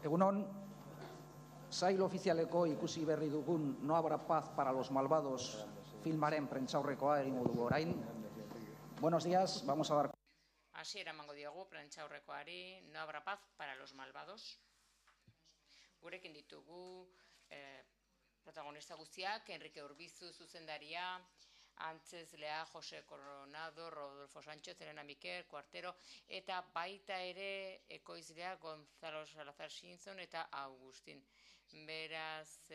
Egunon, sail ofizialeko ikusi berri dugun No habrá paz para los malvados filmaren prentsaurrekoa egingo dugu orain. Buenos días, vamos a dar... Hasiera emango diogu prentsaurrekoari No habrá paz para los malvados. Gurekin ditugu protagonista guztiak, Enrique Urbizu zuzendaria, antzezlea Jose Coronado, Rodolfo Sánchez, Elena Miquel, Cuartero, eta baita ere ekoizlea Gonzalo Salazar Sinzon eta Agustin. Beraz,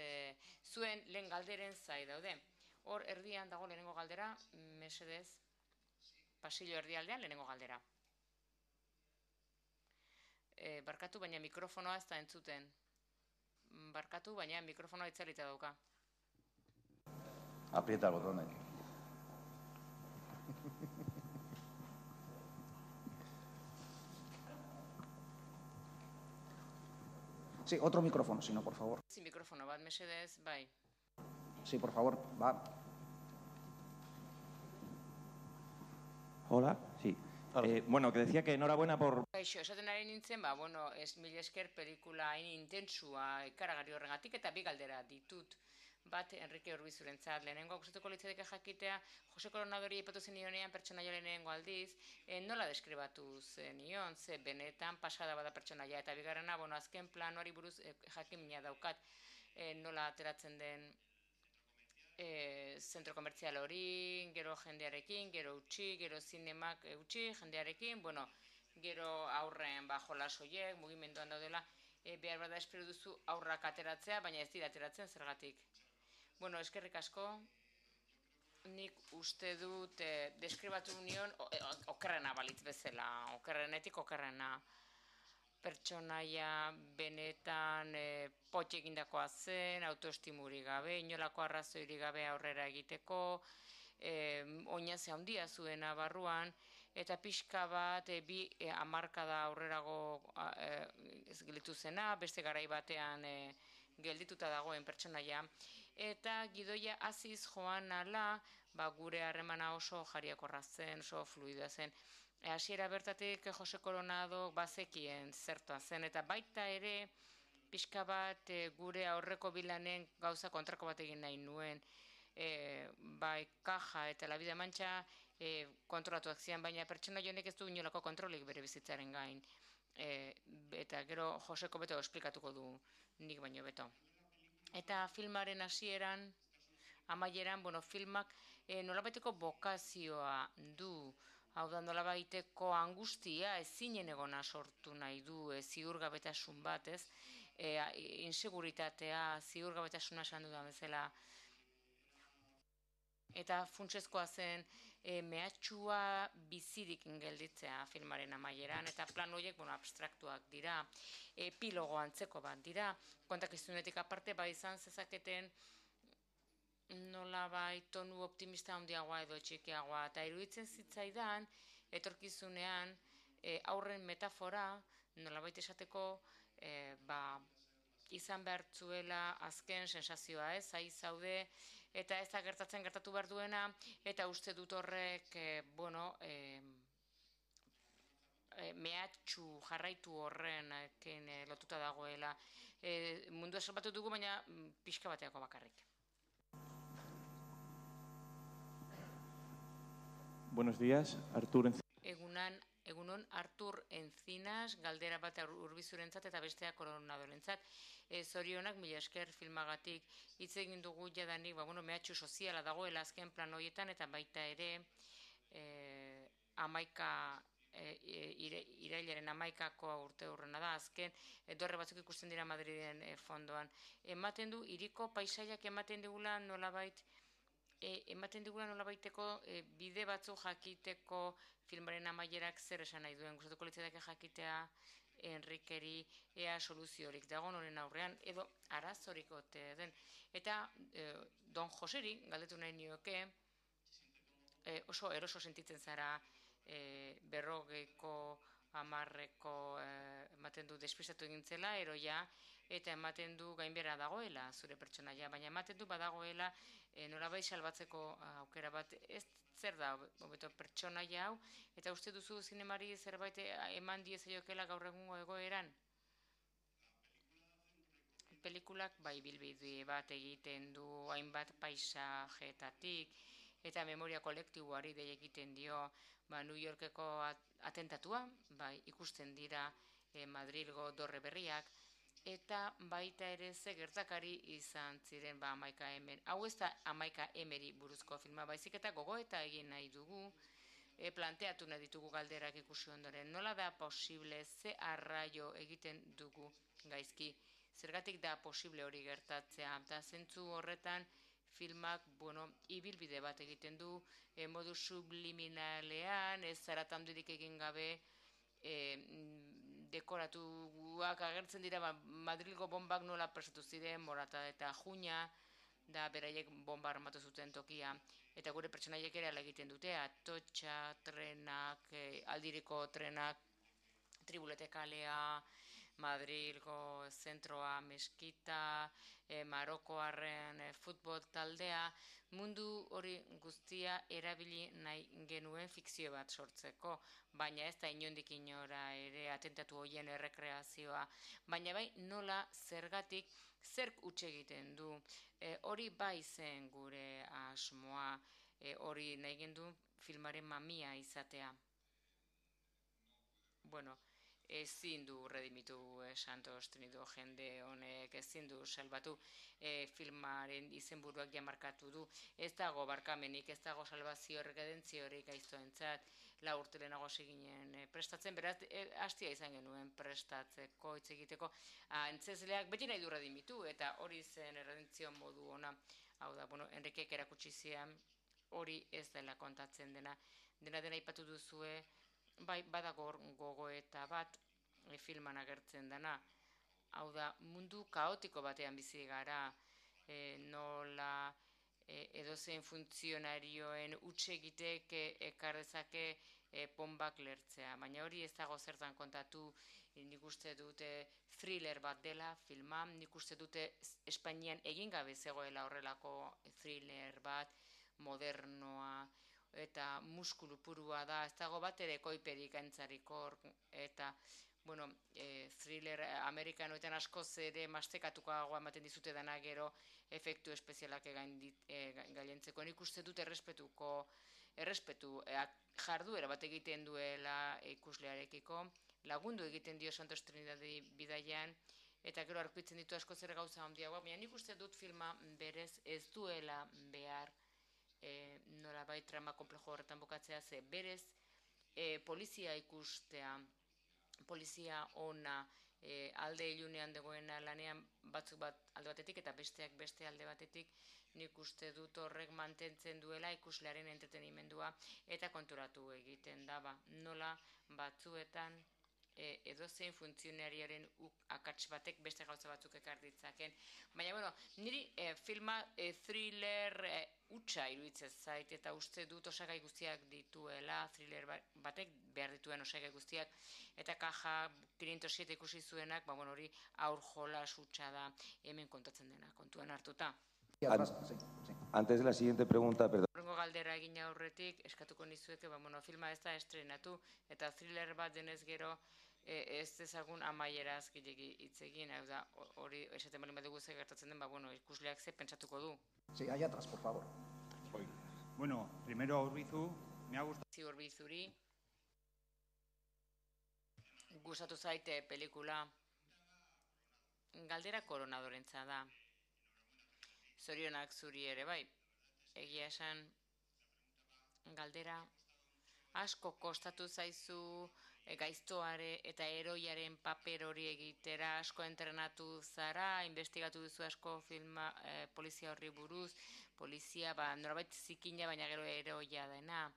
zuen lehen galderen zai daude. Hor erdian dago lehenengo galdera, mesedez, pasillo erdialdean lehenengo galdera. Barkatu, baina mikrofonoa ez da entzuten. Barkatu, baina mikrofonoa itzalita dauka. Aprieta el botón ahí. Sí, otro micrófono, si no, por favor. Sin micrófono bat, mesedez, bai. Sí, por favor, va. Hola, sí. Bueno, que decía que enhorabuena por... Kaixo, esaten ari nintzen, mila esker pelikula hain intentsua ikaragarri horregatik eta bi galdera ditut. Bat, Enrique Urbizurentzat, lehenengo gustatuko litzateke jakitea, Jose Coronadori aipatu zenionean pertsonaia lehenengo aldiz, nola deskribatu zenion, ze benetan pasada bada pertsonaia, eta bigarrena, azken planoari buruz jakimina daukat, nola ateratzen den zentro komertzial hori, gero jendearekin, gero utzi, gero zinemak utzi, jendearekin, gero aurren jolasoiek, mugimenduan daudela, behar bada espero duzu aurrak ateratzea, baina ez dira ateratzen zergatik. Eskerrik asko, nik uste dut deskribatu nion okerrena balitz bezala, okerrenetik okerrena. Pertsonaia benetan potxe egindakoa zen, autoestimuri gabe, inolako arrazoirik gabe aurrera egiteko, oinaze handia zuena barruan, eta pixka bat bi hamarkada aurrerago gelditu zena, beste garai batean geldituta dagoen pertsonaia, eta gidoia hasiz joan ala, gure harremana oso jariakorra zen, oso fluida zen. Hasiera bertatik Jose Coronado bazekien zertua zen, eta baita ere pixka bat gure aurreko bilanen gauza kontrako bat egin nahi nuen. Bai, Kaja eta La Vida Mancha kontrolatuak zian, baina pertsona jonek ez du inolako kontrolik bere bizitzaren gain. Eta gero Joseko beto esplikatuko du nik baino beto. Eta filmaren hasieran, amaieran, filmak nolabaiteko bokazioa du. Hau da, nolabaiteko angustia ezinen egona sortu nahi du, ziurgabetasun bat, ez? Inseguritatea, ziurgabetasuna esan dudan bezala. Eta funtsezkoa zen mehatxua bizirik gelditzea filmaren amaieran, eta plan horiek abstraktuak dira, epilogo antzeko bat dira, kontakizunetik aparte izan zezaketen nolabait tonu optimista handiagoa edo txikiagoa, eta iruditzen zitzaidan etorkizunean aurren metafora nolabait esateko izan behar zuela azken sensazioa, zai zaude, eta ez da gertatu behar duena, eta uste dut horrek, mehatxu jarraitu horren lotuta dagoela. Mundua salbatu dugu, baina pixka bateako bakarrik. Buenos días, Artur Egunon Artur Encinas, galdera bat Urbizurentzat eta bestea Coronadorentzat. Zorionak, mila esker filmagatik hitz egin dugu jadanik, mehatxu soziala dagoela azken plan horietan, eta baita ere irailaren 11ko urte hurrena da, azken dorre batzuk ikusten dira Madriden fondoan. Ematen du, hiriko paisaiak ematen digula nolabaiteko bide batzuk jakiteko filmaren amaierak zer esan nahi duen. Gustatuko litzateke jakitea Enrikeri ea soluziorik dagoen honen aurrean, edo arazorik ote den. Eta Don Joseri, galdetu nahi nioke, oso eroso sentitzen zara 40ko 10ko ematen du despistatu egintzela, eroia, eta ematen du gainbera dagoela zure pertsonaia, baina ematen du badagoela nolabait salbatzeko aukera bat. Ez zer da hobeto pertsonaia hau, eta uste duzu zinemari zerbait eman diezaiokela gaur egungo egoeran? pelikulak bai bilbide bat egiten du hainbat paisajetatik, eta memoria kolektiboari dei egiten dio New Yorkeko atentatua, bai ikusten dira Madrilgo dorre berriak, eta baita ere ze gertakari izan ziren 11M. Hau ez da 11Meri buruzko filma, baizik eta gogoeta egin nahi dugu, planteatu nahi ditugu galderak ikusi ondoren. Nola da posible, ze arraio egiten dugu gaizki? Zergatik da posible hori gertatzea? Eta zentzu horretan filmak, ibilbide bat egiten du, modu subliminalean, ez zaratandurik egin gabe, dekoratuak agertzen dira, Madrilgo bombak nola prestatu ziren, Morata eta Juña, da beraiek bomba armatu zuten tokia, eta gure pertsonaiek ere ala egiten dute, Atotxa, trenak, aldiriko trenak, Tribulete kalea, Madrilgo zentroa, Meskita, Marokoarren futbol taldea, mundu hori guztia erabili nahi genuen fikzio bat sortzeko, baina ez da inondik inora ere atentatu horien errekreazioa, baina bai nola zergatik zerk utxe egiten du, hori bai zen gure asmoa, hori nahi gendu filmaren mamia izatea. Ezin du redimitu Santos Trinido jende honek, ezin du salbatu, filmaren izenburuak jamarkatu du, ez dago barkamenik, ez dago salbazio redentziorik gaiztoentzat, 4 urte lehenago ginen prestatzen, beraz, hastia izan genuen prestatzeko, hitz egiteko, antzezleak beti nahi du redimitu, eta hori zen erredentzio modu ona, hau da, Enrikek erakutsi zian, hori ez dela kontatzen dena aipatu duzue, bai, badago gogoeta bat filman agertzen dena. Hau da, mundu kaotiko batean bizi gara, nola edozein funtzionarioen utxegitek ekardezake ponbak lertzea. Baina hori ez dago zertan kontatu, nik uste dute thriller bat dela filma, nik uste dute Espainian egin gabe zegoela horrelako thriller bat, modernoa, eta muskulu purua da, ez dago bat ere koiperik antzarikor, eta, thriller amerikanoetan askoz ere mastekatukoagoa ematen dizute dana gero efektu espezialak gailentzeko. Nik uste dut errespetu jarduera bat egiten duela ikuslearekiko, lagundu egiten dio Santos Trinidadi bidaian, eta gero arpitzen ditu askoz ere gauza handiagoa, baina nik uste dut filma berez ez duela behar nolabait trama komplejo horretan bukatzea, ze berez polizia ikustea, polizia ona alde ilunean dagoena lanean batzuk bat alde batetik eta besteak beste alde batetik, nik uste dut horrek mantentzen duela ikuslearen entretenimendua eta konturatu egiten daba. Nola batzuetan edozein funtzionariaren akats batek beste gauza batzuk ekar ditzaken. Baina, niri filma thriller hutsa iruditzen zait, eta uste dut osagai guztiak dituela, thriller batek behar dituen osagai guztiak, eta Kaja 507 ikusi zuenak, hori aur jolas hutsa da hemen kontatzen dena, kontuan hartuta. Antes de la siguiente pregunta, perdón. Horrengo galdera egin aurretik, eskatuko nizueke, filma ez da estrenatu, eta thriller bat denez gero, ez dezagun amaieraz gilegi hitz egin, hori esaten bali badugu ze gertatzen den, ikusleak ze pentsatuko du. Sí, allá atrás, por favor. Bueno, primero a Urbizu, me ha gustado. Urbizuri, gustatu zaite pelikula, galdera koronadorentza da. Zorionak zuri ere bai, egia esan galdera asko kostatu zaizu gaiztoare eta eroiaren paper hori egitera, asko entrenatu zara, investigatu duzu asko filma polizia horri buruz, polizia norabait zikina baina gero eroia dena.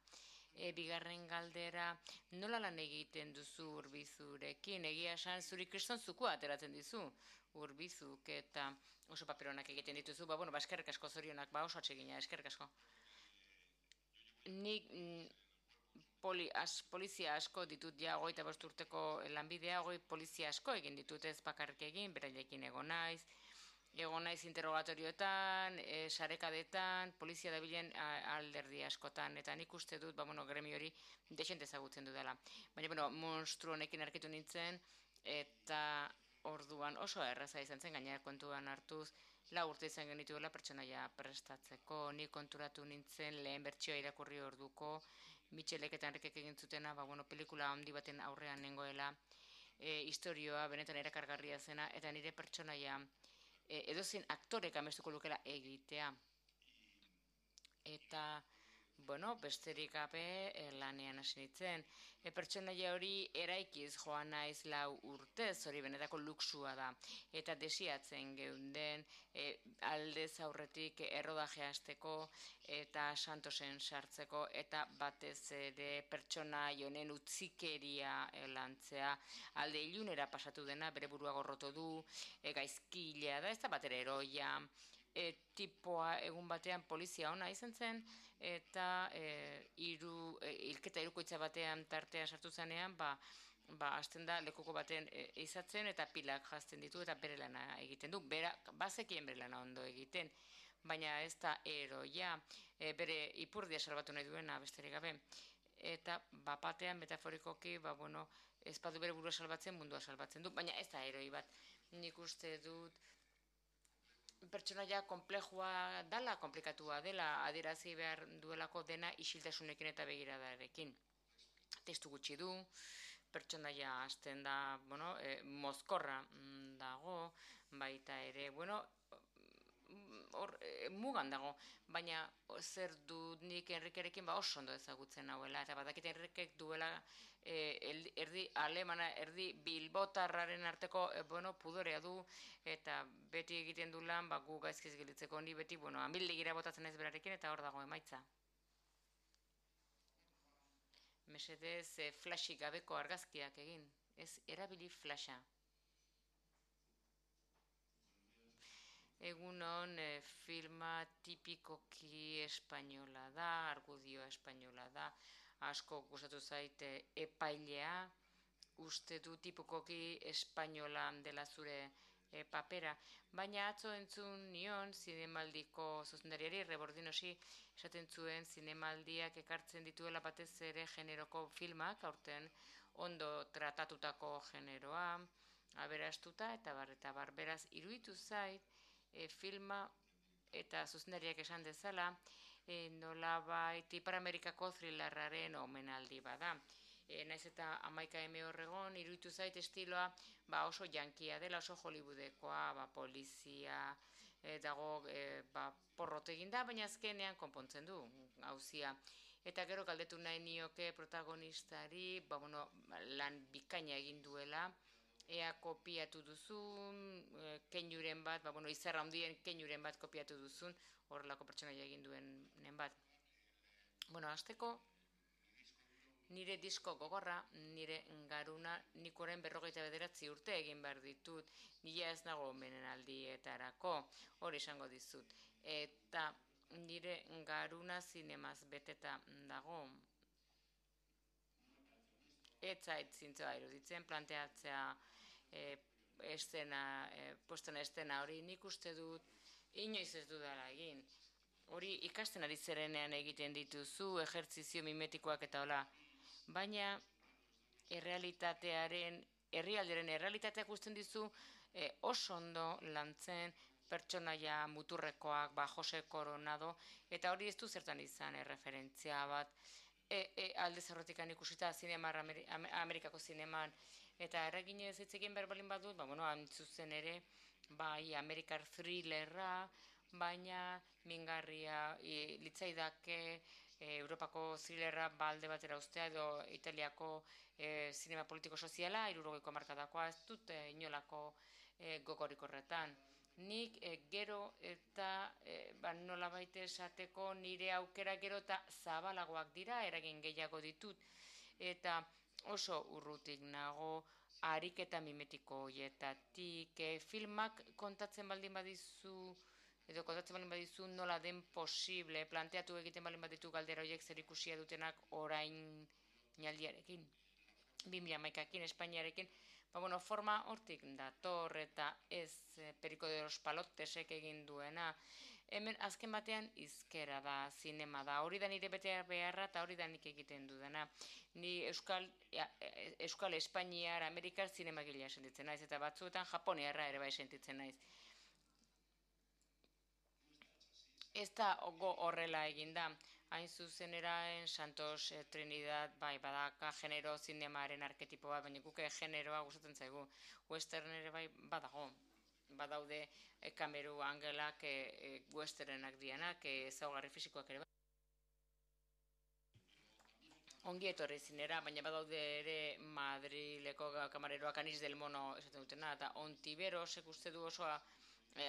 Bigarren galdera, nola lan egiten duzu Urbizurekin, egia esan zuri kristonzukoa ateratzen dizu Urbizuk eta oso paperonak egiten dituzu, eskerrik asko zorionak, oso atsegina, eskerrik asko. Nik polizia asko ditut ja 25 urteko lanbidea, polizia asko egin ditut ez bakarrik egin, berailekin egon naiz interrogatorioetan, sarekadetan, polizia dabilen alderdi askotan, eta nik uste dut, gremio hori desente ezagutzen dudala. Baina, monstru honekin arkitu nintzen, eta orduan oso erraza izan zen, gainera kontuan hartuz, 4 urte izan genituela pertsonaia prestatzeko, ni konturatu nintzen lehen bertsioa irakurri orduko, Mitxelek eta Enrikek egin zutena, pelikula handi baten aurrean nengoela, historioa benetan erakargarria zena, eta nire pertsonaia edozein aktorek amestuko lukela egitea. Eta, besterik gabe lanean hasi nintzen. Pertsonaia hori eraikiz joan naiz 4 urtez, hori benetako luxua da. Eta desiatzen geunden aldez aurretik errodajea hasteko eta Santosen sartzeko eta batez ere pertsonaia honen utzikeria lantzea. Alde ilunera pasatu dena, bere burua gorroto du, gaizkilea da, ez da batera eroia. Tipoa egun batean polizia ona izan zen, eta hilketa hirukoitza batean tartean sartu zenean, hasten da lekuko baten izatzen eta pilak jazten ditu eta bere lana egiten du. Bazekien bere lana ondo egiten, baina ez da eroia, bere ipurdia salbatu nahi duena besterik gabe. Eta batean metaforikoki, ez badu bere burua salbatzen, mundua salbatzen du, baina ez da eroi bat. Nik uste dut pertsonaia komplejua dela, komplikatua dela, adierazi behar duelako dena isiltasunekin eta begiradarekin. Testu gutxi du, pertsonaia hasten da, mozkorra dago, baita ere, mugan dago, baina zer dut nik Enrikerekin oso ondo ezagutzen hauela, eta badakit Enrikek duela erdi alemana, erdi bilbotarraren arteko pudorea du, eta beti egiten du lan, gu gaizkiz gilitzeko, ni beti, amildegira botatzen ez berarekin, eta hor dago emaitza. Mesedez, flashik gabeko argazkiak egin, ez erabili flasha. Egunon, filma tipikoki espainola da, argudioa espainola da, asko gustatu zaite epailea, uste du tipikoki espainola dela zure papera, baina atzo entzun nion zinemaldiko zuzendariari, Rebordinosi, esaten zuen zinemaldiak ekartzen dituela batez ere generoko filmak, aurten ondo tratatutako generoa, aberastuta eta bar, beraz, iruditu zait, filma eta zuzendariak esan dezala, nolabait Ipar Amerikako thrillerraren omenaldi bada. Naiz eta 11 horregon, iruditu zait estiloa oso jankia dela, oso Hollywoodekoa, polizia dago porrot eginda, baina azkenean konpontzen du gauzia. Eta gero galdetu nahi nioke protagonistari, lan bikaina egin duela, ea kopiatu duzun, keinuren bat, izarra handien keinuren bat kopiatu duzun, horrelako pertsonaia egin duenen bat. Hasteko, nire disko gogorra, nire garuna, nik orain 59 urte egin behar ditut, nila ez nago menenaldietarako, hori esango dizut. Eta nire garuna zinemaz beteta dago, ez zait zintzoa iruditzen, planteatzea postena estena hori nik uste dut, inoiz ez dudala egin. Hori ikasten ari zerenean egiten dituzu, ejertzizio mimetikoak eta hola. Baina herrialdearen errealitateak usten dizu oso ondo lantzen pertsonaia muturrekoak, Jose Coronado, eta hori ez du zertan izan referentzia bat, alde zerrotikan ikusita Amerikako zineman, eta erreginez hitz egin behar balin badut, antzuzen ere, Amerikar thrillerra, baina mingarria litzaidake Europako thrillerra alde batera ustea edo Italiako zinema politiko-soziala, 60ko hamarkadakoa, ez dut inolako gogorik horretan. Nik gero eta nolabait esateko nire aukera gero eta zabalagoak dira, eragin gehiago ditut, eta oso urrutik nago ariketa mimetiko horietatik, filmak kontatzen baldin badizu, edo kontatzen baldin badizu nola den posible, planteatu egiten baldin baditu galdera horiek zer ikusia dutenak orain naldiarekin, 2011ekin, Espainiarekin, forma hortik dator eta ez Perico de los Palotesek egin duena, Hemen azken batean hizkera da, zinema da, hori da nire bete beharra eta hori da nik egiten dudana. Ni Euskal Espainiar, Amerikar zinemagilea sentitzen naiz, eta batzuetan Japoniarra ere bai sentitzen naiz. Ez da horrela eginda, hain zuzeneraen Santos Trinidad, bai, badaka genero zinemaren arketipo bat, baina guke generoa gustatzen zaigu. Western ere bai badago. Badaude kameru angelak westernenak dianak, ezaugarri fisikoak ere bai. Ongi etorri zinera, baina badaude ere Madrileko kamareroak Anis del Mono esaten dutena, eta Ontiberosek uste du osoa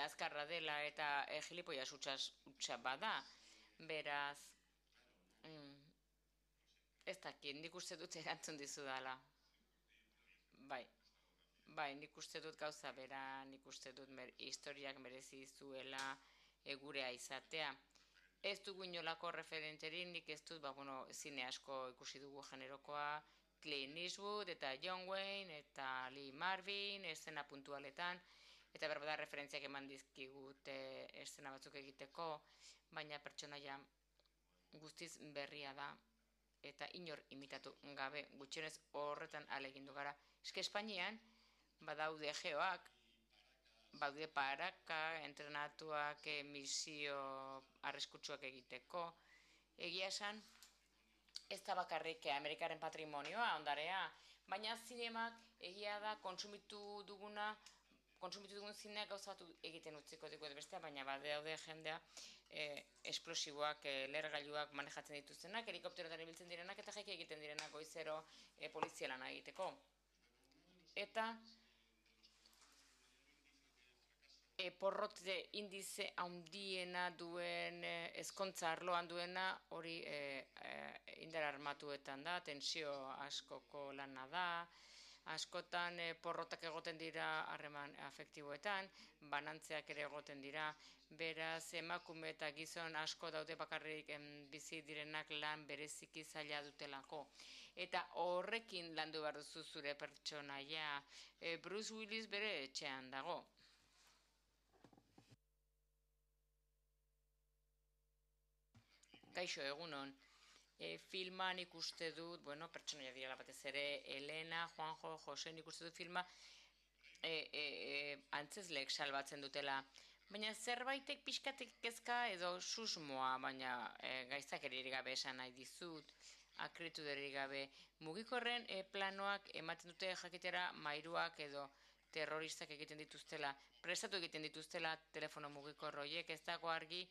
azkarra dela eta gilipollas hutsa bada. Beraz, ez dakit, nik uste dut erantzun dizu dela. Bai, nik uste dut gauza bera, nik uste dut historiak merezi zuela gurea izatea. Ez dugu inolako referenterin, nik ez dut, zine asko ikusi dugu generokoa, Clint Eastwood eta John Wayne eta Lee Marvin, eszena puntualetan, eta berbada referentziak eman dizkigut eszena batzuk egiteko, baina pertsonaia guztiz berria da, eta inor imitatu gabe, gutxienez horretan alegindu gara. Eske Espainian, badaude geoak, badaude paraka, entrenatuak misio arriskutsuak egiteko. Egia esan, ez da bakarrik Amerikaren patrimonioa, ondarea, baina zinemak egia da kontsumitu dugun zineak gauzatu egiten utziko dugu bestea, baina badaude jendea esplosiboak, lehergailuak manejatzen dituztenak, helikopterotan ibiltzen direnak eta jaiki egiten direnak goizero polizialana egiteko. Eta porrote indize handiena duen, ezkontza arloan duena, hori indar armatuetan da, tensio askoko lana da, askotan porrotak egoten dira harreman afektiboetan, banantzeak ere egoten dira, beraz emakume eta gizon asko daude bakarrik bizi direnak lan bereziki zaila dutelako. Eta horrekin landu behar duzu zure pertsonaia. Bruce Willis bere etxean dago. Kaixo, egunon. Filman ikuste dut, pertsonaia direla batez ere, Elena, Juanjo, Jose, ikuste dut filma antzezleek salbatzen dutela. Baina zerbaitek pixkatek kezka edo susmoa, baina gaiztakeririk gabe esan nahi dizut, akrituderik gabe. Mugikorren planoak ematen dute jakitera mairuak edo terroristak egiten dituztela, prestatu egiten dituztela telefono mugikor horiek, ez dago argi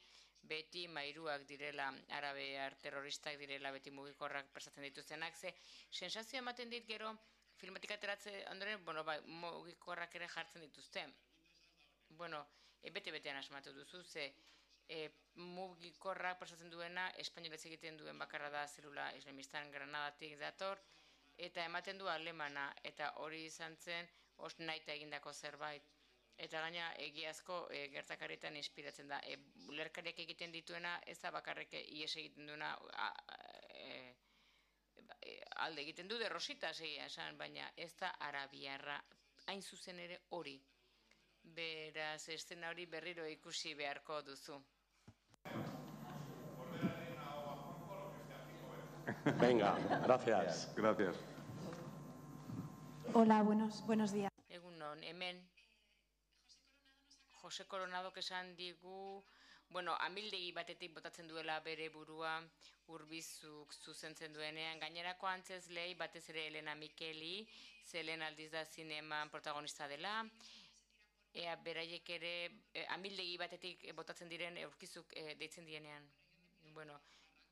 beti mairuak direla, arabear terroristak direla, beti mugikorrak prestatzen dituztenak, ze sensazio ematen dit gero filmatik ateratze ondoren, mugikorrak ere jartzen dituzte. Bete-betean asmatu duzu, ze mugikorrak prestatzen duena, espainolez egiten duen bakarra da zelula islamistan Granadatik dator, eta ematen du alemana, eta hori izan zen naita egindako zerbait. Eta gaina egiazko gertakarietan inspiratzen da. Lerkariak egiten dituena, ez da bakarrik ies egiten duena alde egiten du derrositas egia esan, baina ez da arabiarra hain zuzen ere hori. Beraz, eszena hori berriro ikusi beharko duzu. Venga, gracias. Gracias. Hola, buenos días. Egunon, hemen Jose Coronadok esan digu, amildegi batetik botatzen duela bere burua Urbizuk zuzentzen duenean, gainerako antzezlei batez ere Elena Mikeli, ze lehen aldiz da zineman protagonista dela, beraiek ere amildegi batetik botatzen diren aurkizuk deitzen dienean.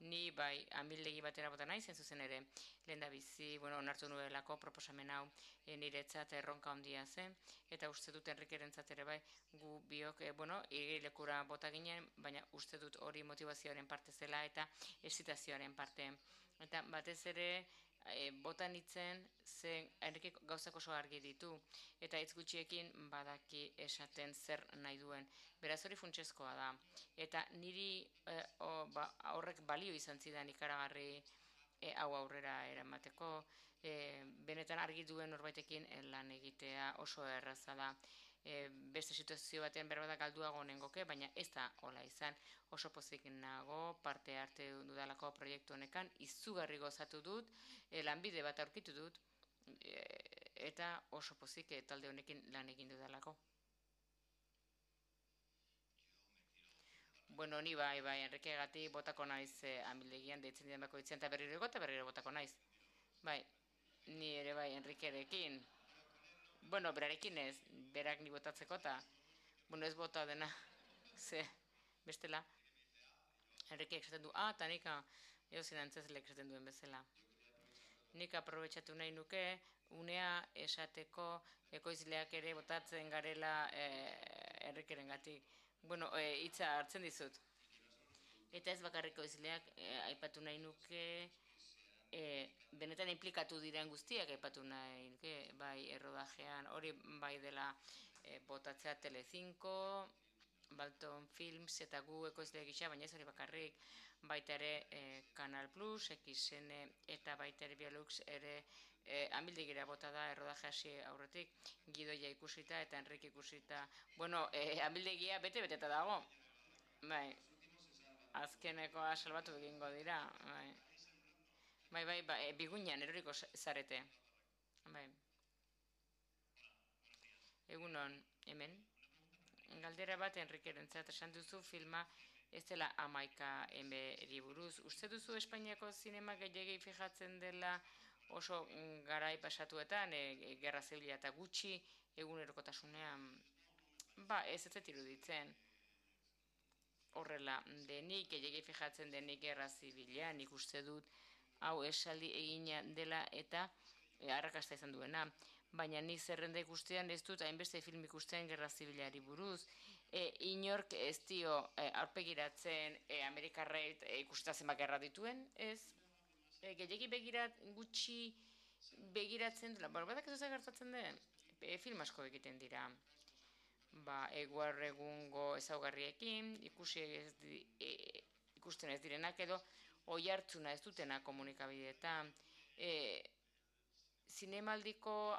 Ni bai amildegi batera bota nahi, zen zuzen ere lehen da bizi, onartu nuelako proposamen hau niretzat erronka handia zen, eta uste dut Enrikerentzat ere bai, gu biok, igerilekura bota ginen, baina uste dut hori motivazioaren parte zela eta excitazioaren parte. Eta batez ere bota nitzen zen Enrikek gauzak oso argi ditu, eta hitz gutxiekin badaki esaten zer nahi duen. Beraz hori funtsezkoa da. Eta niri horrek balio izan zidan ikaragarri hau aurrera eramateko, benetan argi duen norbaitekin lan egitea oso erraza da. beste situazio batean berbada galduago nengoke, baina ez da hola izan. Oso pozik nago, parte arte dudalako proiektu honekan, izugarri gozatu dut, lanbide bat aurkitu dut, eta oso pozik talde honekin lan egin dudalako. Bueno, ni bai, Enrikegatik botako naiz amildegian deitzen diren bakoitzean, eta berriro botako naiz. Bai, ni ere bai Enrikerekin. Bueno, berarekin ez, berak ni botatzeko eta, bueno, ez bota dena, ze, bestela. Enrikeek esaten du, eta nika, eozin antzezlek esaten duen bezala. Nik aprobetxatu nahi nuke, unea esateko ekoizleak ere botatzen garela Enrikeren gatik. Bueno, hitza hartzen dizut. Eta ez bakarriko izleak aipatu nahi nuke, benetan implikatu diren guztiak aipatu nahi nuke, bai errodajean, hori bai dela botatzea Telecinco, Balton Films eta gu ekoizleak gisa, baina ez hori bakarrik, baita ere Canal Plus, XN eta baita ere Bialux ere amildegira bota da errodaje hasi aurretik, Gidoia ikusita eta Enrik ikusita. Bueno, amildegia bete-beteta dago. Bai, azkenekoa salbatu egingo dira. Bai, bigunean eroriko zarete. Bai. Egunon, hemen. Galdera bat Enrikerentzat esan duzu filma ez dela 11 emberi buruz. Uste duzu Espainiako zinema gehiagei fijatzen dela oso garai pasatuetan, gerra zibila eta gutxi egunerokotasunean? Ba, ez iruditzen. Horrela denik, gehiagei fijatzen denik gerra zibilean, ikuste dut hau esaldi egina dela eta arrakasta izan duena. Baina nik zerrenda ikustean ez dut hainbeste film ikustean gerra zibilari buruz. Inork ez dio aurpegiratzen Amerikarreit ikusita zenbat gerra dituen, ez? Gehiagi gutxi begiratzen dela, badak ez gertatzen den, film asko egiten dira. Eguar egungo ezaugarriekin, ikusten ez direnak edo oihartzuna ez dutena komunikabideetan. Zinemaldiko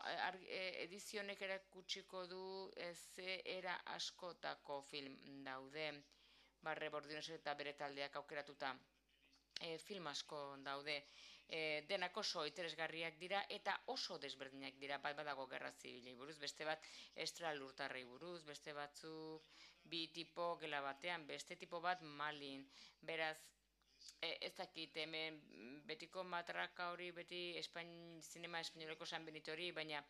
edizionek erakutsiko du ze era askotako film daude, Barre Bordinoz eta bere taldeak aukeratuta. Film asko daude, denak oso interesgarriak dira eta oso desberdinak dira, bat badago gerra zibilei buruz, beste bat estralurtarrei buruz, beste batzuk bi tipo gela batean, beste tipo bat Malin, beraz, ez dakit hemen betiko matraka hori beti zinema espainoleko San Benito hori, baina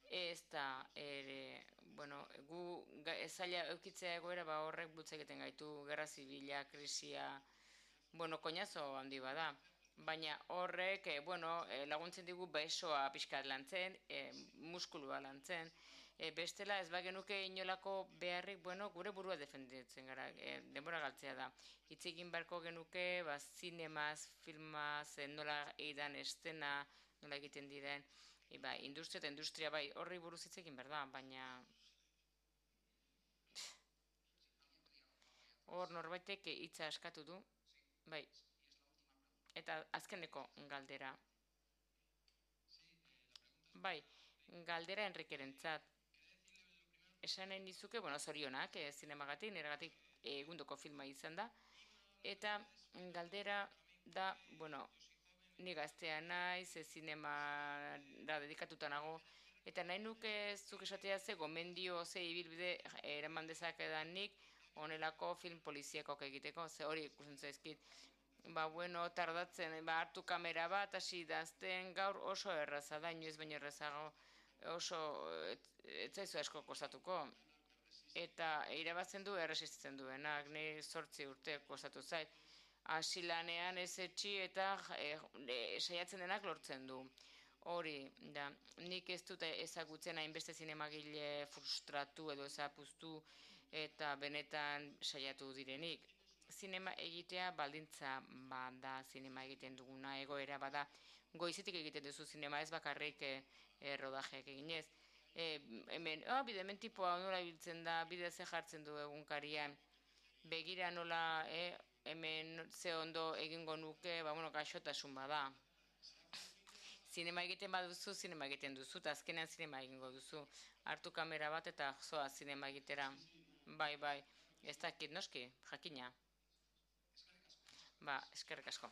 ez da ere, bueno, gu zaila eukitzea egoera horrek bultza egiten gaitu, gerra zibila, krisia, bueno, koñazo handi bada, baina horrek, laguntzen digu besoa pixkat lantzen, muskulua lantzen, bestela ez bagenuke inolako beharrik, gure burua defenditzen gara, denbora galtzea da. Hitz egin beharko genuke, zinemaz, filmaz, nola eidan estena, nola egiten diren, industria eta industria horri buruz hitz egin behar da, baina hor norbaitek hitza askatu du, eta azkeneko galdera. Galdera Enrikerentzat. Esan nahi nizuke, zorionak, zinemagatik, niregatik egundoko filma izan da. Eta galdera da, ni gaztea naiz, zinemara dedikatuta nago, eta nahi nuke zuk esatea ze gomendio, ze ibilbide eraman dezakedanik honelako film poliziakok egiteko, ze hori ikusten zaizkit. Tardatzen, hartu kamera bat, hasi dazten, gaur oso erraza da, inoiz baino errazago, oso ez zaizu asko kostatuko. Eta irabatzen du erresistitzen duenak, ni 8 urte kostatu zait. Hasi lanean ez etxi eta saiatzen denak lortzen du. Hori, da, nik ez dut ezagutzen hainbeste zinemagile frustratu edo ezapuztu eta benetan saiatu direnik. Zinema egitea baldintza bada, zinema egiten duguna egoera bada, goizetik egiten duzu zinema, ez bakarrik rodajeak eginez. Hemen tipoa nola ibiltzen da, bide ze jartzen du egunkarian, begira nola hemen ze ondo egingo nuke, gaixotasun bada. zinema egiten baduzu, zinema egiten duzu, eta azkenean zinema egingo duzu. Hartu kamera bat eta zoa zinema egitera. Bai, ez dakit noski, jakina. Ba, eskerrik asko.